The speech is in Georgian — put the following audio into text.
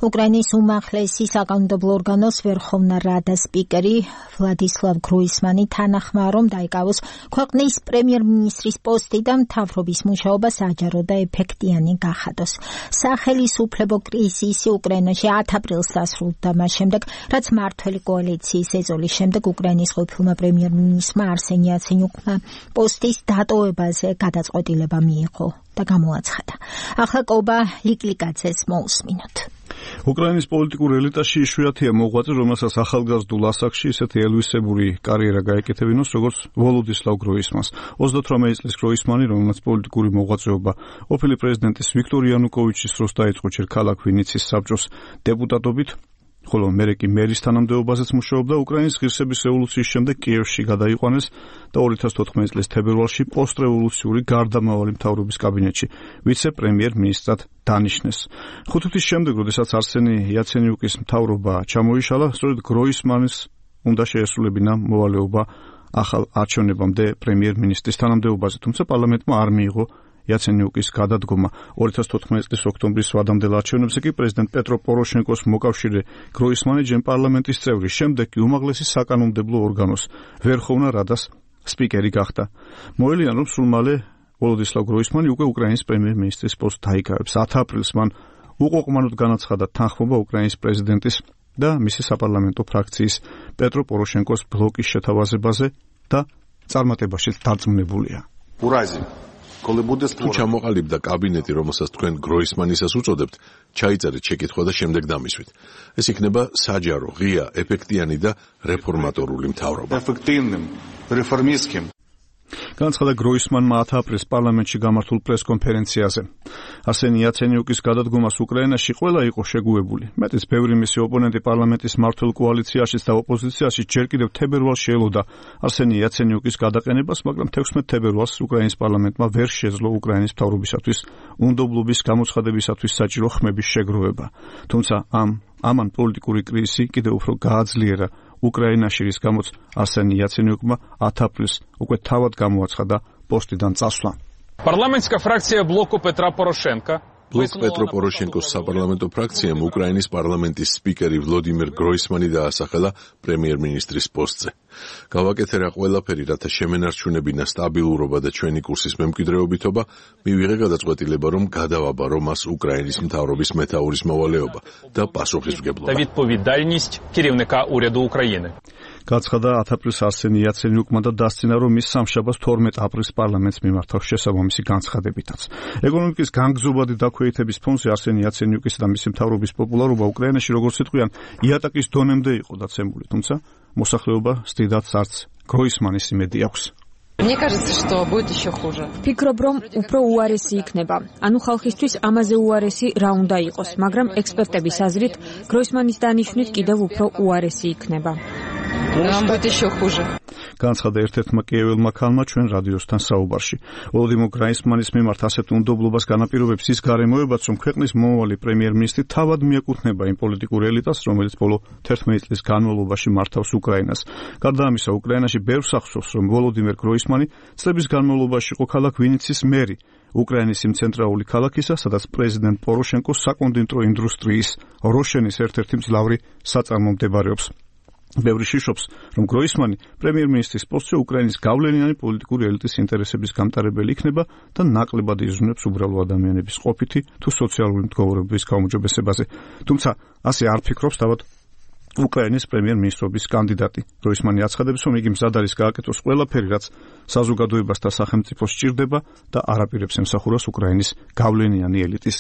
უკრაინის უმაღლესი საკანონმდებლო ორგანოს ვერხოვნა რადა სპიკერი ვლადისლავ გროისმანი თანახმა, რომ დაიკავოს ქვეყნის პრემიერ-მინისტრის პოსტი და მთავრობის მუშაობა საჯარო და ეფექტიანი გახადოს. სახელისუფლებო კრიზისი უკრაინაში 10 აპრილს დასრულდა მას შემდეგ, რაც მმართველი კოალიციის ეწოლის შემდეგ უკრაინის ყოფილმა პრემიერ-მინისტრმა არსენი იაცენიუკმა პოსტის დატოვებაზე გადაწყვეტილება მიიღო და გამოაცხადა. ახლა კობა ლიკლიკაძეს მოусმინოთ. უკრაინის პოლიტიკურ ელიტაში იშვიათია მოღვაწე, რომელსაც ახალგაზრდულ ასაკში ისეთი ელვისებური კარიერა გაეკეთებინოს, როგორც ვოლოდისლავ გროისმანს. 38 წლის გროისმანი, რომელსაც პოლიტიკური მოღვაწეობა ყოფილი პრეზიდენტის ვიქტორ იანუკოვიჩის დროს დაიწყო ჯერ ქალაქ ვინიცის საბჭოს დეპუტატობით, ხოლო მერე კი მერის თანამდებობაზეც მუშაობდა. უკრაინის ღირსების რევოლუციის შემდეგ კიევში გადაიყვანეს და 2014 წლის თებერვალში პოსტრევოლუციური გარდამავალი მთავრობის კაბინეტში ვიცე-პრემიერ-მინისტრად დანიშნეს. 5 თვის შემდეგ, როდესაც არსენი იაცენიუკის მთავრობა ჩამოიშალა, სწორედ გროისმანის უნდა შეესრულებინა მოვალეობა ახალ არჩევნებამდე პრემიერ-მინისტრის თანამდებობაზე, თუმცა პარლამენტმა არ მიიღო იაცენიუკის გადადგომა. 2014 წლის ოქტომბრის ვადამდელ არჩევნებზე კი პრეზიდენტ პეტრო პოროშენკოს მოკავშირე გროისმანი ჯერ პარლამენტის წევრი, შემდეგ კი უმაღლესი საკანონმდებლო ორგანოს ვერხოვნა რადას სპიკერი გახდა. მოელიან, რომ სულ მალე ვოლოდისლავ გროისმანი უკვე უკრაინის პრემიერ-მინისტრის პოსტს დაიკავებს. 10 აპრილს მან უყოყმანოდ განაცხადა თანხმობა უკრაინის პრეზიდენტის და მისი საპარლამენტო ფრაქციის პეტრო პოროშენკოს ბლოკის შეთავაზებაზე და წარმატებაშიც დარწმუნებულია. თუ ჩამოყალიბდა კაბინეტი, რომელსაც თქვენ გროისმანისას უწოდებთ, ჩაიწერეთ შეკითხვა და შემდეგ დამისვით. ეს იქნება საჯარო, ღია, ეფექტიანი და რეფორმატორული მთავრობა. განაცხადა გროისმანმა 10 აპრილს პარლამენტში გამართულ პრესკონფერენციაზე. არსენი იაცენიუკის გადადგომას უკრაინაში ყველა იყო შეგუებული. მეტიც ბევრი მისი ოპონენტი პარლამენტის მმართველ კოალიციაშიც და ოპოზიციაში ჯერ კიდევ თებერვალს შეელოდა არსენი იაცენიუკის გადაყენებას, მაგრამ 16 თებერვალს უკრაინის პარლამენტმა ვერ შეძლო უკრაინის მთავრობისათვის უნდობლობის გამოცხადებისათვის საჭირო ხმების შეგროვება. თუმცა ამან პოლიტიკური კრიზისი კიდევ უფრო გააძლიერა უკრაინაში, რის გამოც არსენი იაცენიუკმა 10 აპრილს უკვე თავად გამოაცხადა პოსტიდან წასვლა. Парламентская фракция блоку Петра Порошенко ბლოკ პეტრო პოროშენკოს საპარლამენტო ფრაქციამ უკრაინის პარლამენტის სპიკერი ვლოდიმირ გროისმანი დაასახელა პრემიერ-მინისტრის პოსტზე. გავაკეთე რა ყველაფერი, რათა შემენარჩუნებინა სტაბილურობა და ჩვენი კურსის მემკვიდრეობითობა, მივიღე გადაწყვეტილება, რომ გადავაბარო მას უკრაინის მთავრობის მეთაურის მოვალეობა და პასუხისმგებლობა. та відповідальність керівника уряду України. გაცხადა 10 აპრილს არსენი იაცენიუკმა და დასცინა, რომ მის სამშაბათს 12 აპრილს პარლამენტს მიმართავს შესაბამისი განცხადებითაც. ეკონომიკის განგზობადი დაქვეითების ფონზე არსენი იაცენიუკის და მისი მთავრობის პოპულარობა უკრაინაში, როგორც იტყვიან, იატაკის დონემდე იყო დაცემული, თუმცა მოსახლეობა სტიდად არც გროისმანის იმედი აქვს. Мне кажется, что будет еще хуже. Ფიქრობ, რომ უფრო უარესი იქნება. ანუ ხალხისთვის ამაზე უარესი რა უნდა იყოს, მაგრამ ექსპერტების აზრით, გროისმანის დანიშვნით კიდევ უფრო უარესი იქნება. Нам будет еще хуже. განაცხადა ერთ-ერთმა კიეველმა ქალმა ჩვენ რადიოსთან საუბარში. ვოლოდიმირ გროისმანის მიმართ ასეთ უნდობლობას განაპირობებს ის გარემოებაც, რომ ქვეყნის მომავალი პრემიერ-მინისტრი თავად მიეკუთვნება იმ პოლიტიკურ ელიტას, რომელიც ბოლო 11 წლის განმავლობაში მართავს უკრაინას. გარდა ამისა, უკრაინაში ბევრს ახსოვს, რომ ვოლოდიმირ გროისმანი წლების განმავლობაში იყო ქალაქ ვინიცის მერი, უკრაინის იმ ცენტრალური ქალაქისა, სადაც პრეზიდენტ პოროშენკოს საკონდიტრო ინდუსტრიის როშენის ერთ-ერთი მძლავრი საწარმო მდებარეობს. ბევრი შიშობს, რომ გროისმანი პრემიერ-მინისტრის პოსტზე უკრაინის გავლენიანი პოლიტიკური ელიტის ინტერესების გამტარებელი იქნება და ნაკლებად იზრუნებს უბრალო ადამიანების ყოფითი თუ სოციალური მდგომარეობის გაუმჯობესებაზე. თუმცა ასე არ ფიქრობს თავად უკრაინის პრემიერ-მინისტრობის კანდიდატი. გროისმანი აცხადებს, რომ იგი მზად არის გააკეთოს ყველაფერი, რაც საზოგადოებას და სახელმწიფოს სჭირდება და არ აპირებს ემსახუროს უკრაინის გავლენიანი ელიტის